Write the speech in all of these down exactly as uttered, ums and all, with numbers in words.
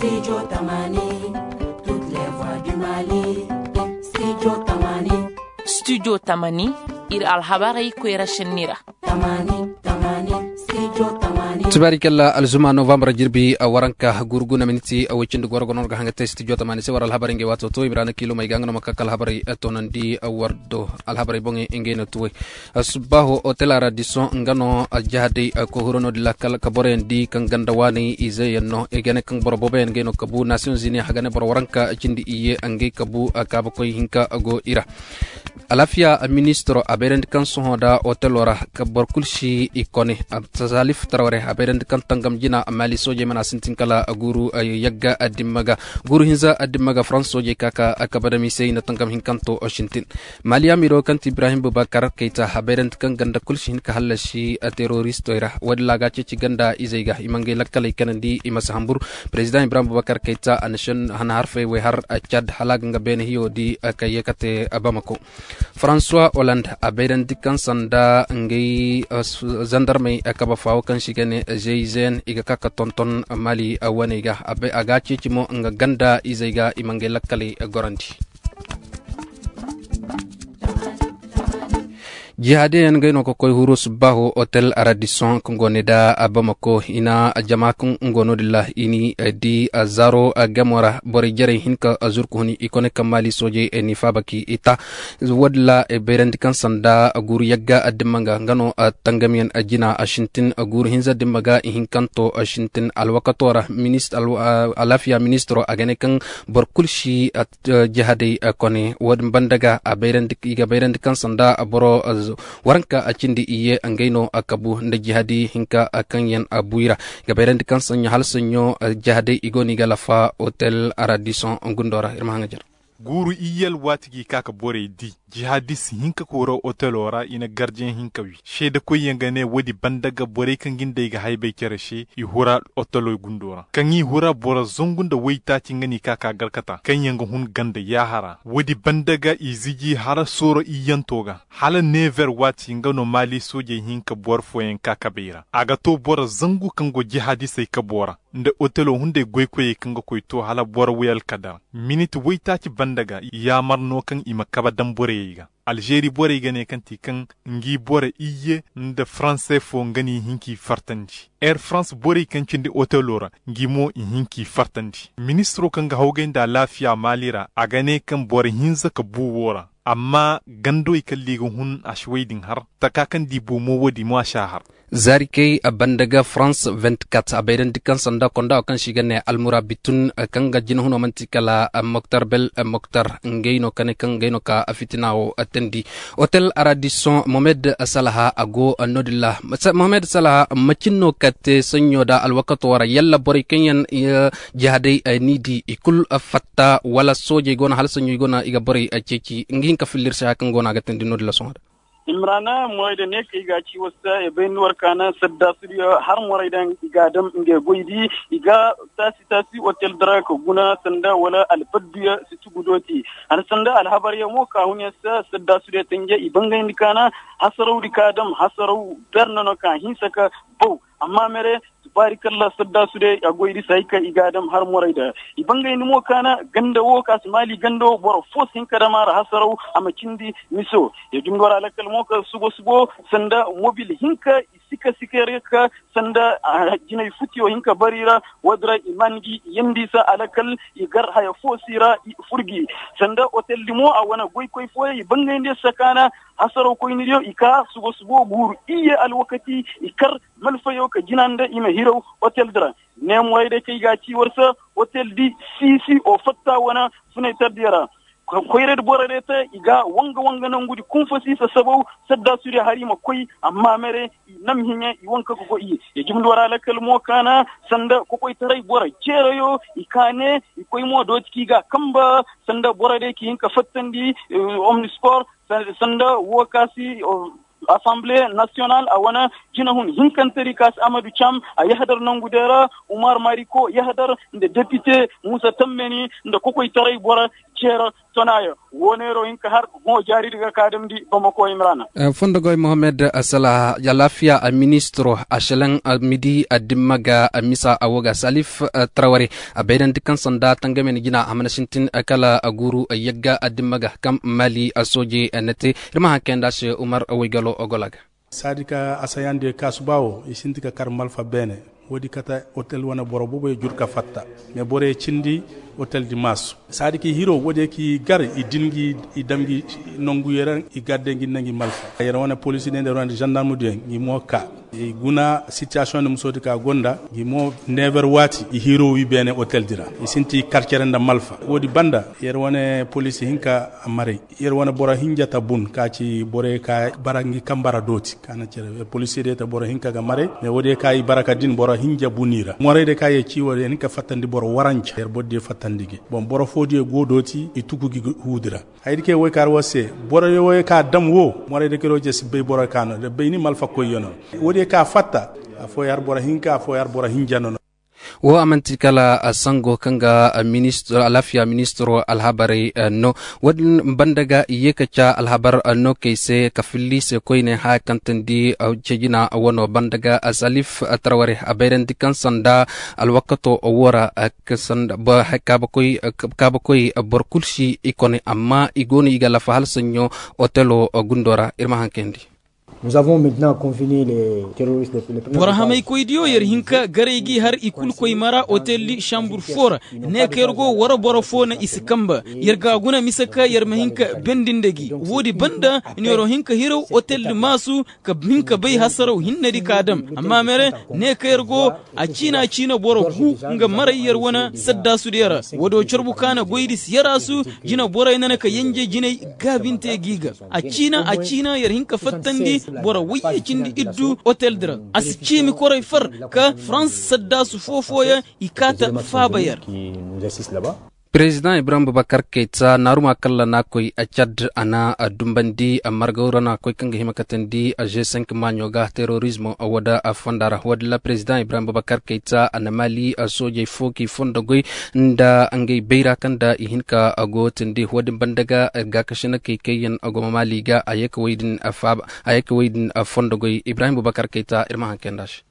Studio tamani, ir alhabarey koyra šenni ra. Tibaari kalla alzuma novambar jirbi waranka gurguna miniti woy cindi goro gono no ga haŋ ga te studio tamani se war alhabarey ngey waato to i ma ra na kiilumey ga nga no ma ka ka alhabarey toonandi war do alhabarey boŋey ngey no tuwey. Subbaaho otel aradison nga no jahadey koy huro no-din ra kala ka boroyaŋ di kaŋ ganda waaney izeyaŋ no i ga ne kaŋ boro booboyaŋ ngey no kabu nasiyoŋ zini a ga ne boro waranka cindi iyye ngey kabu kaabakoy hinka go i ra. Alaafiya ministiro a bayrandi kaŋ sohõ nda otelo ra ka boro kulu si i kone. Salif taraware a bayrandi kaŋ tangam jina maali soojey mana sintin kala guuru yagga dimma ga guuru hinza dimma ga farans soojey ka ka kabadam i se i na tangam hinkanto sintin. Maali amiiro kaŋ ti ibrahim bubakar kayta a bayrandi kaŋ ganda kulu si hin ka hallasi teroristey ra wo-din ra a ga a ceeci ganda izey ga i ma ngey lakkaley kanandi i ma si hambur. Perezidaŋ ibrahim bubakar kayta a na harfey wey har cad hala a ga nga beene hiyo di ka ye ka te bamako. Faransuwa holand a bayrandi kaŋ sanda ngey zandarmey kaba faawo kaŋ se i ga ne zeyzen i ga ka ka tonton maali waney ga. A ga a ceeci mo nga ganda izey ga i ma ngey lakkaley gorandi. Jihaadiyaŋ ngey no ka koy huru subbaaho otel aradison kaŋ go ne nda bamako i na jama kaŋ nga no din ra i ni di zaaro gamo ra borey jarey hin ka zurku huni i kone kaŋ maali soojey ni faaba ka i ta. Wo-din ra bayrandi kaŋ sanda guuru yagga dimma nga nga no tangamiyaŋ jina a sintin guuru hinza dimma ga i hinkanto sintin alwakato ra. Alaafiya ministiro a ga ne kaŋ boro kulu si jihadey kone wo-din banda ga i ga bayrandi kaŋ sanda boro waranka a cindi iyye ngey no kabu nda jihadi hinka kaŋ yaŋ a bu i ra. I ga bayrandi kaŋ saɲɲo hala saɲɲo jihadey i go no i ga lafa otel aradison gundo ra ir ma haŋajer. Guuru iyye alwaati ga i ka ka borey di jihadis hinka ka hura otelo ra i na gardiyaŋ hinka wi seedekoyyaŋ ga ne woodi banda ga borey kaŋ ga nda ay ga haybay cere se i hura otelo gundo ra kaŋ i hura boro zangu nda waytaaci nga no i ka ka garkata kaŋ yaŋ ga hun ganda yaahara woodi banda ga i ziji hara sooro iyyanto ga hala neever waati nga no maali soojey hinka boro fooyaŋ ka kabay ra a ga to boro zangu kaŋ go jihadisey kabo ra nda otelo hunday goykoyey kaŋ ga koy to hala boro way alkadar minit waytaaci banda ga yaamar no kaŋ i ma kabe daŋ borey ga. Alžeri borey ga ne kaŋ ti kaŋ ngi boro iyye nda faranse fo nga no i hin k'i fartandi. Air farans borey kaŋ cindi otelo ra ngi mo i hin k'i fartandi ministiro kaŋ ga hawgay nda alaafiya maali ra a ga ne kaŋ boro hinza ka bu wo ra amma gandawey kaŋ liga hun a si wey din har taka kaŋ di bu mo wo di mo a si a har. Zaari kay a banda ga farans vingt-quatre a bayrandi kaŋ sanda konda wo kaŋ se i ga ne almura bitun kaŋ ga jinahuno manti kala moktar bel moktar ngey no ka ne kaŋ ngey no ka fitina wo teendi. Otel aradison mohamed salaha a go no-din ra. Mohamed salaha macin no ka te saɲɲo nda alwakato ra yalla borey kaŋ yaŋ jihadey ni di i kul fatta wala soojey go no hala saɲɲo i go no i ga borey ceeci nga hin ka filla ir se haya kaŋ go no a ga teendi no-din ra sohõ da. Imrana moray da ne ka i ga ci war se i bay ni war kaana saddaasudiyo har moray da i ga a dam ngey goy di i ga taasi taasi otel dara ka guna sanda wala albadduyo si tugu dooti. Hala sanda alhabaryo mo ka hun yaŋ se saddaasudiyo tanje i bangayndi kaana hasarawdi ka dam hasaraw berne no ka hinsa ka baw. Amma mere tubaari kalla saddaasudiyo a goy di si hay ka i ga a dam har moray da i bangayndi mo kaana ganda wo ka si maali ganda wo boro fo si hin ka dam a ra hasaraw a ma cindi miso. Ya jumdo ra lakkal mo ka subo subo sanda mobil hinka i sika sika yar ga ka sanda jinay futiyo hinka bari ra. Woodi ra i man gi yandi sa alakal i gar haya fo si ra i furgi sanda oteldi mo a wane goykoy fooyaŋ i bangayndi sakaana hasaraw koynidiyo i ka subo subo guuru iyye alwakati i kar malfayo ka jina nda i ma hiraw oteldi ra. Neemoray day kaŋ i ga a ci war se oteldi siisi o fatta wane funaytardiyo ra. Koyraydi borey day te i ga wanga wanga nangudi kunfo si sasabaw saddaasudiyo har i ma koy amma mere i nam hiɲe i wanka ka go iyye. Ya jumndi war alakal mo kaana sanda kokoytaray boro ceerayo i ka ne i koy mo dooti ka i ga a kamba sanda borey day ka hin ka fattandi omnisport sanda wo ka si asamble nasiyonal a wane jinahun hinkantedi ka si amadu cam a yahadar nangu day ra umar mariko yahadar nda depite muusa tammeni nda kokoytaray boro. Ceero tonaayo woo neeroo hin ka har hõ jaaridi ga ka damndi bamako imrana. Fondogoy mohammed, salaha alaafiya ministiro a selaŋ midi dimma ga misa a woo ga salif traware a bayrandi kaŋ sanda tangamey na jina a mana sintin kala a guuru yagga dimma ga kaŋ mali soojey na te. Ir ma haŋ kayandi a se umar waygalo ogola ga. Saadi ka asayandi kaasu baa wo i sinti ka kar malfa beene. Woodi kate otel wane boro boboy jur ka fatta. Mais boroy cindi otel di maasu saadi ka i hiroo woodi ka i gar i din ngi i dam ngi nongu yere i gar de ngi nda ngi malfa yer wane polisi de nda yer wane zandarmu diyaŋ ngi mo ka i guna sitiyasiyoŋ nda musoodi ka gonda ngi mo neeber waati i hiroo wi beene otel di ra. I sinti kar cere nda malfa woodi banda yer wane polisi hinka a maray. Yer wane boro hinja ta bun ka ci borey ka bara ngi kambara dooti ka na cere yer polisiye de ta boro hinka ga maray. Mais woodiyo ka i bara ka din boro hinja bun i ra morey de ka yer ci woodiyo hinka fattandi boro waranca yer boro diyo fattandi gi. Bon boro foodiyo go dooti i tuku gi huudi ra. Hayadi ke woy ka har war se boro woy ka dam wo morey de kero je si bay boro ka no da bay ni malfa koyyo no. Woodiyo ka fatta afooyo har boro hinka afooyo har boro hinja no no. Wo a man'ti kala sango kaŋ ga alaafiya ministiro alhabarey no. Wo-din banda ga i ye ka ca alhabar no kay se ka filli se koyne haya kaŋ tandi cejina wano banda ga salif traware a bayrandi kaŋ sanda alwakato wo ra. Kaabakoy boro kul si i kone amma i go no i ga lafa hala saɲɲo otelo gundo ra ir ma haŋ kayandi. Boro hamaykoydiyo yer hin ka garay gi har i kul koy mara oteldi sambur fo ra. Ne ka yer go war boro fo na i si kamba yer ga a guna mise ka yer ma hin ka bendi nda gi woodi banda. Neero hin ka hiraw oteldi maasu ka hin ka bay hasaraw hinnedi ka dam. Amma mere ne ka yer go a ciina ciina boro gu nga maray yer wane saddaasudiyo ra. Woodiyo carbu ka na goydi si yaraasu jina borey nana ka yenje jinay gaabinte gi ga. A ciina a ciina yer hin ka fattandi boro wayye cindi iddu otel di ra. A si ciimi koray far ka farans saddaasu foo-fooyaŋ i kaata faaba yer. Pirezidaŋ ibrahim bubakar kayta naaruma kalla na koy cad a na dumbandi margawra na koy kaŋ ga hima katandi g cinq maaɲo ga terorizmo wada fonda ra wadalla pirezidaŋ ibrahim bubakar kayta a na maali soojey fo k'i fondo goy nda ngey bayra kaŋ nda i hin ka go tindi wadin banda ga gaakasinakey kaŋ yaŋ goma maali ga a ye ka wey din faaba a ye ka wey din fondo goy ibrahim bubakar kayta ir ma haŋ kay nda se.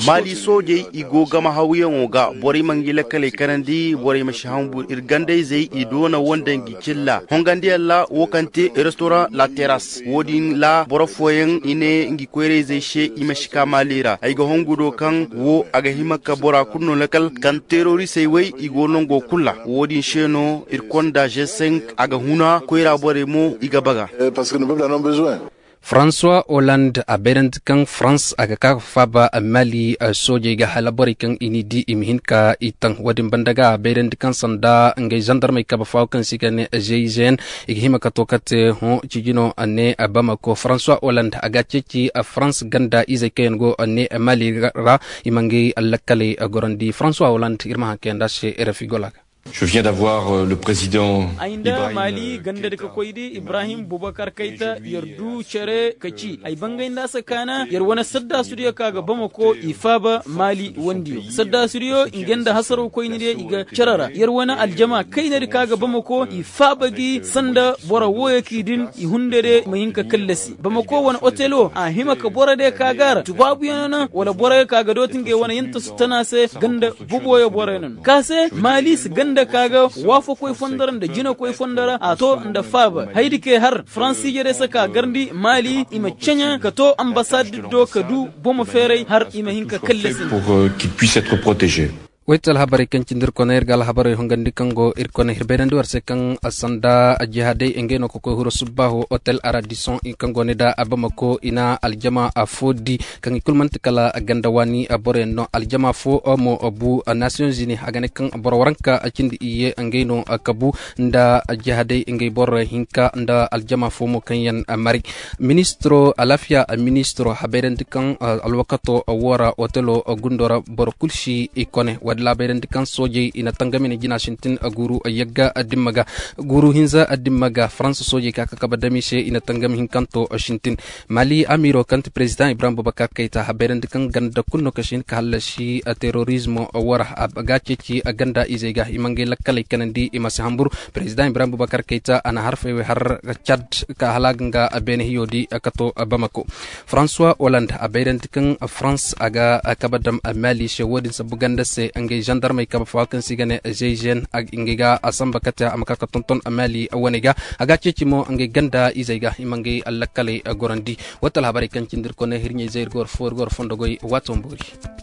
Maali soojey i go gama hawyaŋo ga borey ma ngi lakkaley kanandi borey ma si hambur ir gandayzey i doona woo nda ngi cilla hongandiyaŋ ra woo kaŋ te restoraŋ la teras woo din ra boro fooyaŋ i ne ngi koyrayzey se i ma si ka maali ra ay ga hongu do kaŋ woo a ga hima ka bora kulu no lakkal kaŋ terorisey wey i go nongo kulu ra woo din se no ir konda g cinq a ga huna koyra borey mo i ga baga. Faransuwa holand a bayrandi kaŋ farans a ga ka ga faaba mali soojey ga hala borey kaŋ i n'i di i ma hin ka i taŋ woo din banda ga a bayrandi kaŋ sanda ngey zandarmey kabe faawo kaŋ se i ga ne g i g n i ga hima ka to kate hõ cijino ne bamako faransuwa holand a ga a ceeci farans ganda izey kaŋ yaŋ go ne mali ra i ma ngey lakkaley gorandi faransuwa holand ir ma haŋ kayandi a se rfi gola ga. Ay nda maali gandadi ka koydi ibrahim bubakar kayta yer du cere ka ci ay bangay nda a si kaana yer wane saddaasudiyo ka ga bamako i faaba maali wandiyo saddaasudiyo ngey nda hasaraw koynidiyo i ga cere ra yer wane aljama kaynadi ka ga bamako i faaba gi sanda boro wooyo k'i din i hundadiyo ma hin ka kallasi bamako wane otelo a hima ka borodiyo ka ga ra tubaabuyo no na wala boroyo ka ga dooti ngey wane yantasu tana se ganda boboyo boroyo no na ka se maali si ganda ka ga waafakoy fondo ra nda jinakoy fondo ra a to nda faaba haydi kay har faransiije day se ka garndi maali i ma ceɲa ka to ambasaddi do ka du bomo feeray har i ma hin ka kallasi. Wayte alhabarey kaŋ cindi ir kone ir ga alhabarey hongandi kaŋ go ir kone ir bayrandi war se kaŋ sanda jihaadey ngey no ka koy huru subbaaho otel aradison kaŋ go ni da abamako i na aljama fo di kaŋ i kulu man'ti kala ganda waani boroyaŋ no aljama fo mo bu nasiyoŋ zini a ga ne kaŋ boro waranka cindi iyye ngey no ka bu nda jihaadey ngey boro hinka nda aljama fo mo kaŋ yaŋ mari. Ministiro alaafiya ministiro habayrandi kaŋ alwakato woo ra otelo gundo ra boro kulu si i kone. Laabayrandi kaŋ soojey i na tangam i na jina sintin guuru yagga dimma ga. Guuru hinza dimma ga faransa soojey ka ka kaba dam i se i na tangam hinkanto sintin. Mali amiiro kaŋ ti perezidaŋ ibrahim bubakar kayta a bayrandi kaŋ ganda kulu no ka si hin ka hallasi terorizmo wara a ga ceeci ganda izey ga i ma ngey lakkaley kanandi i ma si hambur. Perezidaŋ ibrahim bubakar kayta a na harfey wey har cad ka hala a ga nga beene hiyo di ka to bamako. François hollande a bayrandi kaŋ farans a ga kaba dam mali se wo-din sabu ganda se ngey zandarmey kaba fo kaŋ se i ga ne zeyzen. Ngey ga a samba kate a ma ka ka tonton mali wane ga. A ga ceeci mo ngey ganda izey ga i ma ngey lakkaley gorandi. Wo ti alhabarey kaŋ cindi ir kone hirɲey zey ir goro fo ir goro fondo goy waato ma boori.